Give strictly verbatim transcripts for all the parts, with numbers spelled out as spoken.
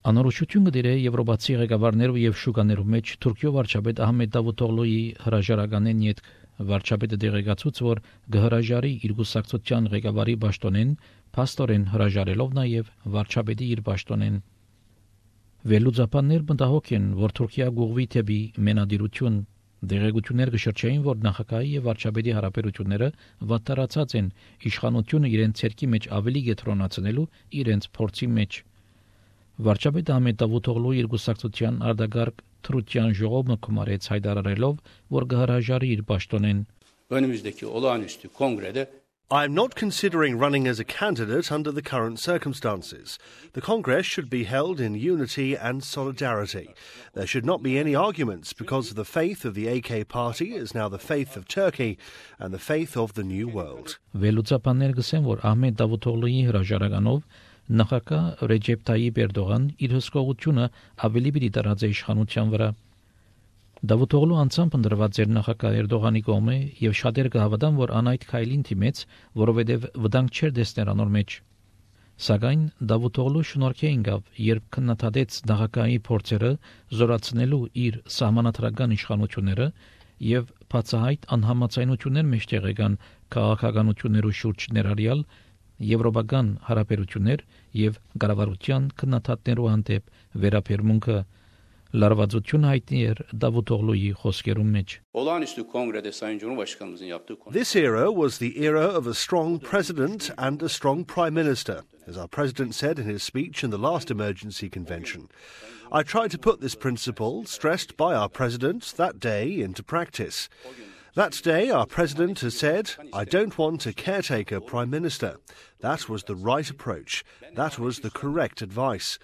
Անորոշություն կդիրե Եվրոպացի ղեկավարներով եւ շուկաներով մեջ Թուրքիո վարչապետ Ահմեդ Դավութօղլուի հրաժարականեն յետ վարչապետը դեղեկացուց, որ գհրաժարի իր գուսակցության ղեկավարի պաշտոնեն, փաստորեն հրաժարելով նաեւ վարչապետի իր պաշտոնեն։ Վերլուծաբաններ մտահոգ են, որ Թուրքիա գուղվի թեպի մենադիրություն դեղեկություններ կշրջային, որ նախագահի եւ վարչապետի հարաբերությունները վատթարացած են իշխանությունը իրենց ցերկի մեջ ավելի գետրոնացնելու իրենց փորձի մեջ։ Վարչապետ Ահմեդ Դավութօղլուի իր գուսակցության արտագարգ Թրուտյան ժողովը կմարեց հայտարարելով, որ գհրաժարի իր պաշտոնեն։ Önümüzdeki olağanüstü kongrede I am not considering running as a candidate under the current circumstances. The Congress should be held in unity and solidarity. There should not be any arguments because the faith of the A K party is now the faith of Turkey and the faith of the New World. Վերլուծաբաններ գսեն, որ Ահմեդ Դավութօղլուի հրաժարականով նախագահ Ռեջեփ Թայիփ Էրդողան իր հսկողությունը ավելի պիտի տարածի իշխանության վրա։ Դավութօղլու անձամբ ընդրված էր նախագահ Էրդողանի կողմը եւ շատեր կհավատան, որ անայդ քայլին թիմեց, որովհետեւ վտանգ չէր դեսներ անոր մեջ։ Սակայն Դավութօղլու շնորհքին գավ, երբ քննադատեց նախագահի փորձերը զորացնելու իր սահմանադրական իշխանությունները եւ բացահայտ անհամաձայնություններ մեջտեղ եկան քաղաքականություններու շուրջ ներառյալ եվրոպական հարաբերություններ եւ կառավարության քննադատներու հանդեպ վերաբերմունքը լարվածություն հայտնի էր Դավութօղլուի խոսքերում մեջ։ olağanüstü kongrede Sayın Cumhurbaşkanımızın yaptığı konuşma. This era was the era of a strong president and a strong prime minister, as our president said in his speech in the last emergency convention. I tried to put this principle, stressed by our president that day, into practice. That day, our president has said, I don't want a caretaker prime minister. That was the right approach. That was the correct advice.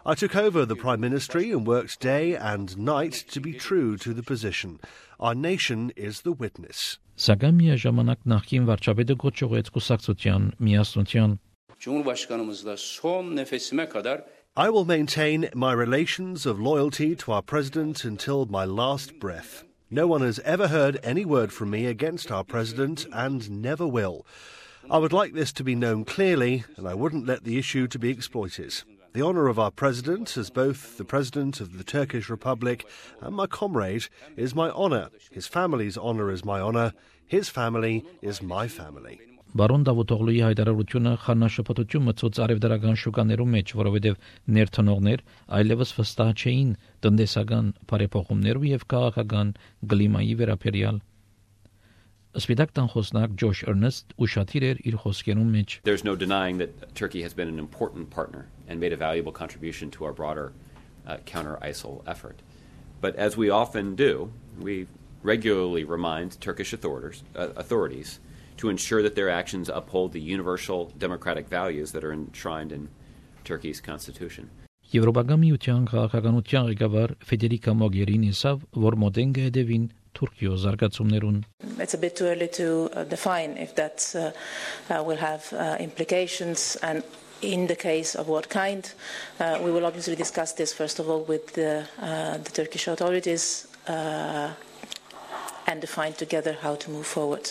I took over the prime ministry and worked day and night to be true to the position. Our nation is the witness. Սակայն միաժամանակ նախկին վարչապետը գոչողեց կուսակցության միասնության։ Cumhurbaşkanımızla son nefesime kadar I will maintain my relations of loyalty to our president until my last breath. No one has ever heard any word from me against our president and never will. I would like this to be known clearly, and I wouldn't let the issue to be exploited. The honour of our president as both the president of the Turkish Republic and my comrade is my honour. His family's honour is my honour. His family is my family. Բարոն Դավութօղլուի հայտարարությունը խառնաշփոթություն մտցուց արևդարական շուկաներում մեջ, որովհետև ներթնողներ այլևս վստահ չէին տնտեսական բարեփոխումներով եւ քաղաքական գլիմայի վերաբերյալ։ Սպիտակ տան խոսնակ Ջոշ Էրնեստ ուշադիր էր իր խոսքերում մեջ։ There's no denying that Turkey has been an important partner and made a valuable contribution to our broader uh, counter-ISIL effort. But as we often do, we regularly remind Turkish authorities, uh, authorities to ensure that their actions uphold the universal democratic values that are enshrined in Turkey's constitution. Եվրոպական միության քաղաքականության ղեկավար Ֆեդերիկա Մոգերինի ասավ, որ մոդեն կհետևին Թուրքիո զարգացումներուն։ It's a bit too early to uh, define if that uh, uh, will have uh, implications and in the case of what kind. Uh, we will obviously discuss this first of all with the, uh, the Turkish authorities uh, and define together how to move forward.